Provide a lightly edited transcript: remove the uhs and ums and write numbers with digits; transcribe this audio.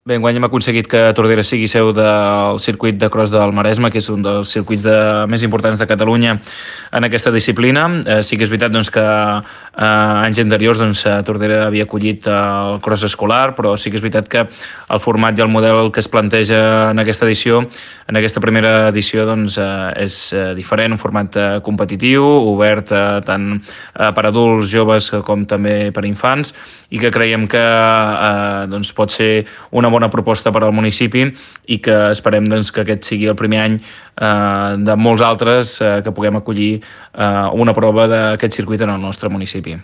Bé, enguany hem aconseguit que Tordera sigui seu del circuit de cross del Maresme, que és un dels circuits més importants de Catalunya en aquesta disciplina. Sí que és veritat doncs, que anys anteriors Tordera havia acollit el cross escolar, però sí que és veritat que el format i el model que es planteja en aquesta edició, en aquesta primera edició, és diferent, un format competitiu, obert tant per adults, joves com també per infants, i que creiem que pot ser una bona proposta per al municipi i que esperem que aquest sigui el primer any de molts altres que puguem acollir una prova d'aquest circuit en el nostre municipi.